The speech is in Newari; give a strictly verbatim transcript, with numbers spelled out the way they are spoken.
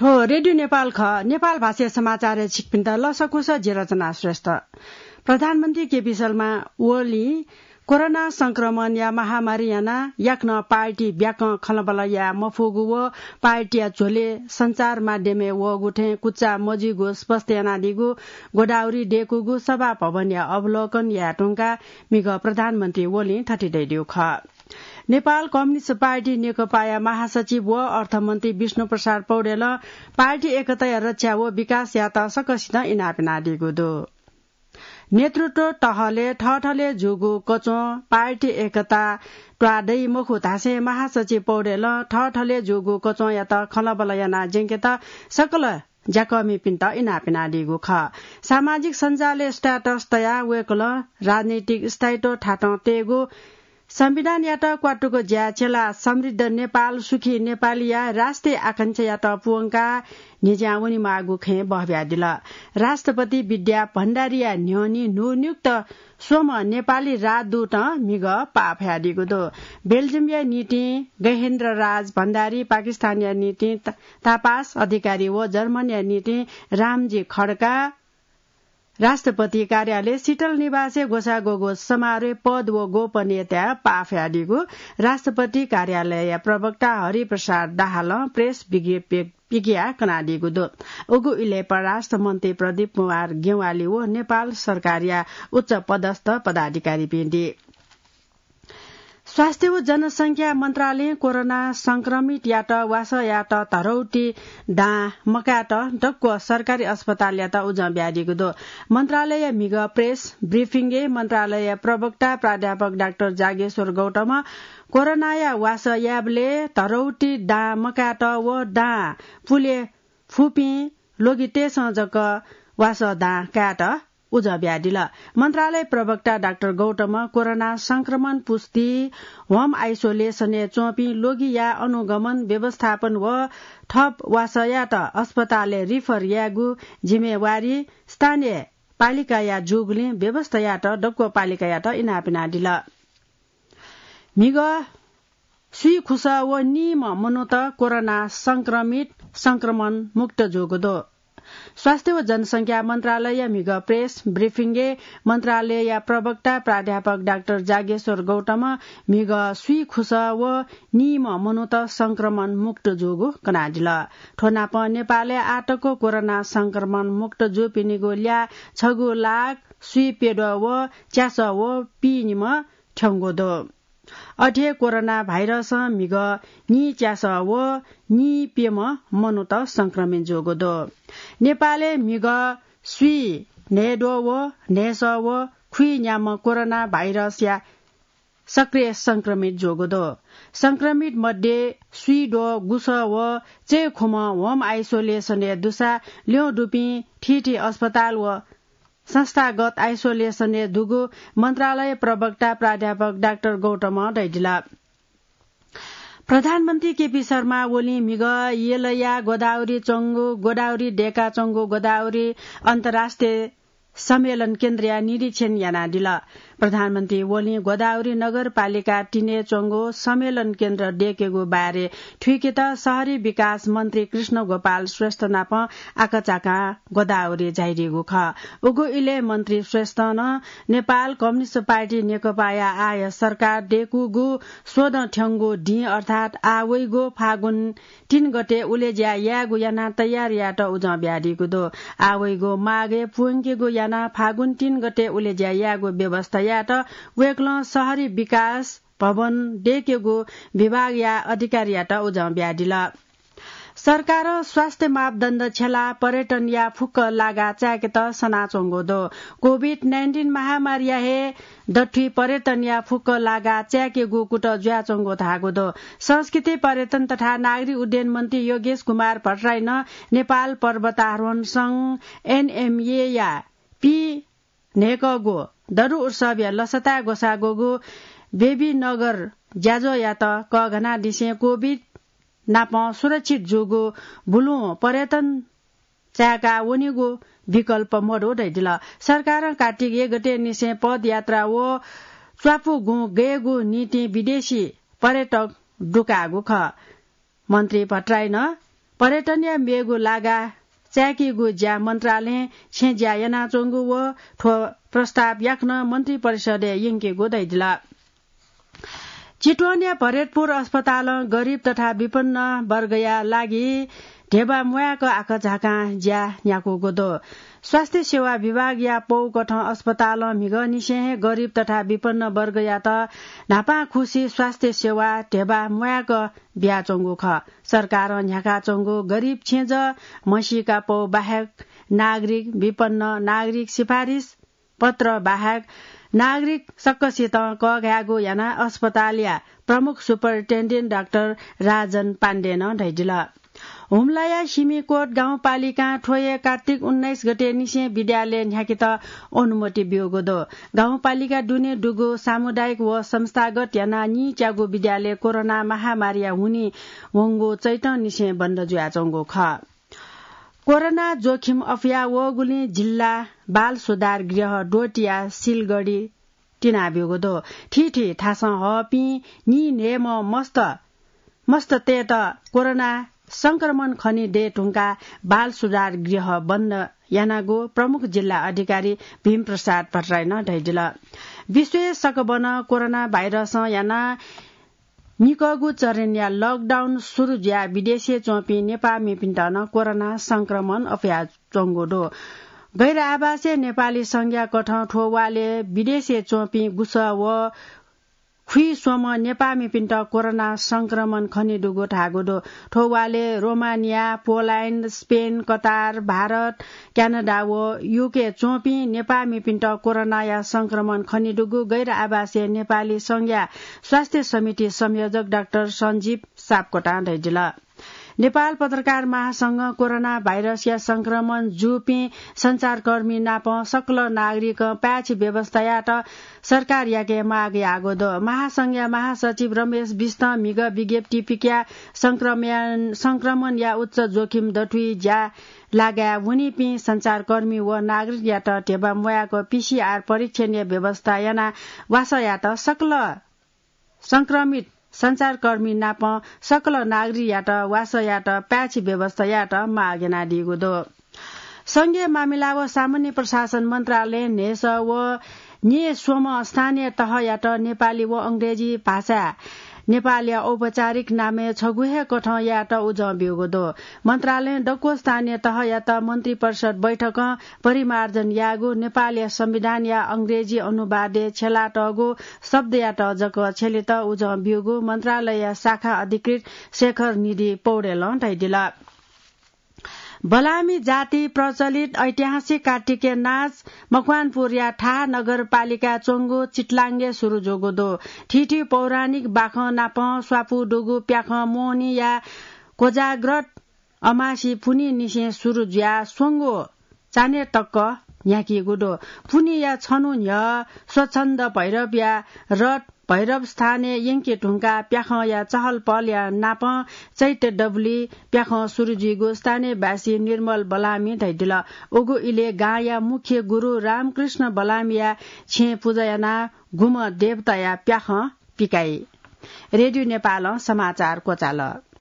हो, रेडियो नेपाल खः। नेपाल भाषाया समाचारय् छिकपिन्त लसकुस, जि रचना श्रेष्ठ। प्रधानमन्त्री केपी शर्मा ओलीं कोरोना संक्रमणया महामारी यानाः याकनं पार्टी ब्याकं खँल्हाबल्हा याये मफुगु व पार्टीया झ्वलय् सञ्चार माध्यमय् वःगु थें कुचा मजुइगु स्पष्ट यानादीगु गोदावरी देकूगु सभा भवनया अवलोकन याये धुंकाः म्हिगः प्रधानमन्त्री ओलीं थथे धयादीगु खः। नेपाल कम्युनिस्ट पार्टी नेकपाया महासचिव व अर्थमन्त्री विष्णु प्रसाद पौडेलं पार्टी एकताया रक्षा व विकासयात सकसितं इनाप यानादीगु दु। नेतृत्व तहले थःथःले जूगु कच्वं पार्टी एकता त्वाः दइ मखु धासें महासचिव पौडेलं थःथःले जूगु कच्वंयात खँल्हाबल्हा यानाः ज्यंकेत सकल ज्याकःमिपिन्त इनाप यानादीगु खः। सामाजिक सञ्जालय् status तयाः वय्कलं राजनैतिक स्थायित्व थातं तयेगु, संविधानयात क्वातुक ज्या छ्यलाः समृद्ध नेपाल, सुखी नेपालया राष्ट्रिय आकांक्षायात पूवंकाः न्ह्यज्यां वनेमाःगु खँय् बहबियादिल। राष्ट्रपति विद्या भण्डारीया न्ह्यःने न्हून्युक्त स्वम्ह नेपाली राजदूतं म्हिगः पाः फयादीगु दु। बेल्जियमया निंतिं गहेन्द्र राज भण्डारी, पाकिस्तानया निंतिं त-, तापास अधिकारी व जर्मनया निंतिं रामजी खड्का राष्ट्रपति कार्यालय शीतल निवासय् ग्वसाः ग्वःगु समारोहय् पद व गोपनीयताय् पाः फयादीगु राष्ट्रपति कार्यालयया प्रवक्ता हरिप्रसाद दाहालं प्रेस विज्ञप्ति पिकयाः कनादीगु दु। उगु इलय् परराष्ट्र मन्त्री प्रदीप कुमार ज्ञवाली व नेपाल सरकारया उच्च पदस्थ पदाधिकारीपिं दी। स्वास्थ्य व जनसंख्या मन्त्रालयं कोरोना संक्रमितयात वासः यायेत धरौटी दां मकायेत दक्व सरकारी अस्पतालयात उजं बियादीगु दु। मन्त्रालयया म्हिगः प्रेस ब्रिफिङय् मन्त्रालयया प्रवक्ता प्राध्यापक डाक्टर जागेश्वर गौतमं कोरोनाया वासः यायेबलय् धरौटी दां मकायेत व दां पुले फुपिं लोगितय्सं जक वासः दां कायेत उजं बियादिल। मन्त्रालय प्रवक्ता डाक्टर गौतमं कोरोना संक्रमण पुष्टि, home isolation-य् च्वंपिं लोगिया अनुगमन व्यवस्थापन व थप वासः यायेत अस्पतालय् refer यायेगु जिम्मेवारी स्थानीय पालिकाया जूगुलिं व्यवस्था यायेत दक्व पालिकायात इनाप यानादिल। म्हिगः स्वीखुसः व नीम्ह मनूत कोरोना संक्रमित, संक्रमण मुक्त जूगु दु। स्वास्थ्य व जनसंख्या मन्त्रालयया म्हिगः प्रेस ब्रिफिङय् मन्त्रालयया प्रवक्ता प्राध्यापक डाक्टर जागेश्वर गौतमं म्हिगः स्वीखुसः व नीम्ह मनूत संक्रमण मुक्त जूगु कनादिल। थ्व नापं नेपालय् आःतक कोरोना संक्रमण मुक्त जूपिनिगु ल्याः छगू लाख स्वीप्यद्वः व च्यासः व पीनिम्ह थ्यंगु दु। अथे कोरोना भाइरसं म्हिगः नीच्यासः व नीप्यम्ह मनूत संक्रमित जूगु दु। नेपालय् म्हिगः स्वीन्हय्द्वः व न्हय्सः व खुइन्याम्ह कोरोना भाइरसया सक्रिय संक्रमित जूगु दु। संक्रमित मध्ये स्वीद्वः गुसः व चय्खुम्ह home isolation-य् दुसा ल्यं दुपिं थीथी अस्पताल व संस्थागत isolation-य् दुगु मन्त्रालय प्रवक्ता प्राध्यापक डाक्टर गौतमं धयादिल। प्रधानमन्त्री केपी शर्मा ओलीं म्हिगः यलया गोदावरी च्वंगु, गोदावरी देकाच्वंगु गोदावरी अन्तर्राष्ट्रिय सम्मेलन केन्द्रया निरीक्षण यानादिल। प्रधानमन्त्री ओलीं गोदावरी नगरपालिका तीनय् च्वंगु सम्मेलन केन्द्र देकेगु बारे थुइकेत शहरी विकास मन्त्री कृष्ण गोपाल श्रेष्ठ नाप आकाझाकां गोदावरी झायादीगु खः। उगु इलय् मन्त्री श्रेष्ठं नेपाल कम्युनिस्ट पार्टी नेकपाया आःया सरकार देकूगु स्वदँ थ्यंगु दिं अर्थात् आः वइगु फागुन तीन गते उलेज्या यायेगु यानाः तयार यायेत उजं बियादीगु दु। आः वइगु माघय् पूवंकेगु यानाः फागुन तीन गते उलेज्या यायेगु व्यवस्था यायेत वय्कलं शहरी विकास भवन देकेगु विभागया अधिकारीयात उजं बियादिल। सरकारं स्वास्थ्य मापदण्ड छ्यलाः पर्यटनया फुक्क लागा चाय्केत सनाच्वंगु दु। कोभिड नाइन्टिन महामारीया हे दथुइ पर्यटनया फुक्क लागा चाय्केगु कुतः जुयाच्वंगु धाःगु दु। संस्कृति, पर्यटन तथा नागरिक उड्डयन मन्त्री योगेश कुमार भट्टराईनं नेपाल पर्वतारोहण संघ, एनएमए या पीन्हय्कःगु दरु उत्सवया लसताय् ग्वसाः ग्वःगु बेबीनगर ज्याझ्वःयात कःघानादिसें कोभिड नाप सुरक्षित जूगु बुलुं पर्यटन चाय्का वनेगु विकल्प मदु धयादिल। सरकारं कार्तिक एक गते निसें पदयात्रा व च्वापु गुँ गयेगु निंतिं विदेशी पर्यटक दुकाःगु खः। मन्त्री भट्टराईनं पर्यटनया मेगु लागा चाय्‌कीगु ज्या मन्त्रालयं छेँज्या यानाच्वंगु व थ्व प्रस्ताव याकनं मन्त्रिपरिषदय् यंकेगु धयादिल। चितवनया भरतपुर अस्पतालं गरिब तथा विपन्न वर्गया लागि ध्यबा म्वाय्‌क आकाझाकां ज्या न्ह्याकूगु दु। स्वास्थ्य सेवा विभागया पौकथं अस्पतालं म्हिगःनिसें हे गरिब तथा विपन्न वर्गयात न्हापांखुसी स्वास्थ्य सेवा ध्यबा म्वाय्‌क बियाच्वंगु खः। सरकारं न्ह्याकाच्वंगु गरिब छेँजः म्हसीका पौ बाहेक नागरिक, विपन्न नागरिक सिफारिस पत्र बाहेक नागरिक सकसितं कःघायेगु यानाः अस्पतालया प्रमुख सुपरिन्टेन्डेन्ट डाक्टर राजन पाण्डेनं धयादिल। हुम्लाया सिमिकोट गाउँपालिकां थ्व हे कार्तिक उन्नाइस गते निसें विद्यालय न्ह्याकेत अनुमति ब्यूगु दु। गाउँपालिका दुने दुगु सामुदायिक व संस्थागत यानाः नीच्यागु विद्यालय कोरोना महामारीया हुनिं वंगु चैतं निसें बन्द जुयाच्वंगु खः। कोरोना जोखिम अफया वःगुलिं जिल्ला बाल सुधार गृह द्वःतिया सिलगढी तिनाब्यूगु दु। थीथी थासं हःपिं नीन्हय्‌म्ह मस्त, मस्ततय्‌त कोरोना संक्रमण खने दये धुंकाः बाल सुधार गृह बन्द यानागु प्रमुख जिल्ला अधिकारी भीमप्रसाद भट्टराईनं धयादिल। विश्वय् सकबनं कोरोना भाइरसं यानाः निकःगु चरणया लकडाउन सुरु जुयाः विदेशय् च्वंपिं नेपाःमिपिन्त नं कोरोना संक्रमण अफयाच्वंगु दु। गैर आवासीय नेपाली संज्ञा कथं थ्व वालय् विदेशय् च्वंपिं गुसः व खुइस्वम्ह नेपाःमिपिन्त कोरोना संक्रमण खनेदुगु धाःगु दु। थ्व वालय् रोमानिया, पोल्याण्ड, स्पेन, कतार, भारत, क्यानाडा व युकेय् च्वंपिं नेपाःमिपिन्त कोरोनाया संक्रमण खनेदुगु गैर आवासीय नेपाली संज्ञा स्वास्थ्य समिति संयोजक डाक्टर सञ्जीव सापकोटां धयादिल। नेपाल पत्रकार महासंघं कोरोना भाइरसया संक्रमण जूपिं सञ्चारकर्मी नाप सकल नागरिकं पाय्‌छि व्यवस्था यायेत सरकारयाके माग याःगु दु। महासंघया महासचिव रमेश बिष्टं म्हिगः विज्ञप्ति पिकयाः संक्रमण, संक्रमणया उच्च जोखिम दथुइ ज्या लागाय् वनीपिं सञ्चारकर्मी व नागरिकयात ध्यबा म्वाय्‌क पीसीआर परीक्षणया व्यवस्था यानाः वासः यायेत सकल संक्रमित सञ्चारकर्मी नाप सकल नागरिकयात वासः यायेत पाय्‌छि व्यवस्था यायेत माग यानादीगु दु। संघीय मामिला व सामान्य प्रशासन मन्त्रालयं न्हय्‌सः व न्यय्‌स्वम्ह स्थानीय तहयात नेपाली व अंग्रेजी भाषाय् नेपालया औपचारिक नामय् छगू हे कथं यायेत उजं ब्यूगु दु। मन्त्रालयं दक्व स्थानीय तहयात मन्त्रिपरिषद बैठकं परिमार्जन याःगु नेपालया संविधानया अंग्रेजी अनुवादय् छ्यलातःगु शब्दयात जक छ्यलेत उजं ब्यूगु मन्त्रालयया शाखा अधिकृत शेखर निधि पौडेलं धयादिल। बलामी जाति प्रचलित ऐतिहासिक कार्तिके नाच मकवानपुरया थाहा नगरपालिकाय् च्वंगु चितलाङ्गे सुरु जूगु दु। थीथी पौराणिक बाखं नाप स्वापू दुगु प्याखं मोहनीया कोजाग्रत अमासी पुन्हिनिसें सुरु जुयाः स्वंगू चान्हय् तक न्ह्याकीगु दु। पुन्हिया छन्हु न्ह्यः स्वच्छन्द भैरवया रथ भैरव स्थानय् यंके धुंकाः प्याखंया चहलपहलया नाप चैत्य दबुली प्याखं सुरु जुइगु स्थानीयवासी निर्मल बलामी धयादिल। उगु इलय् गांया मुख्य गुरु रामकृष्ण बलामीया छेँय् पुजा यानाः गुम्ह देवताया प्याखं पिकाइ। रेडियो नेपालं समाचार क्वचाल।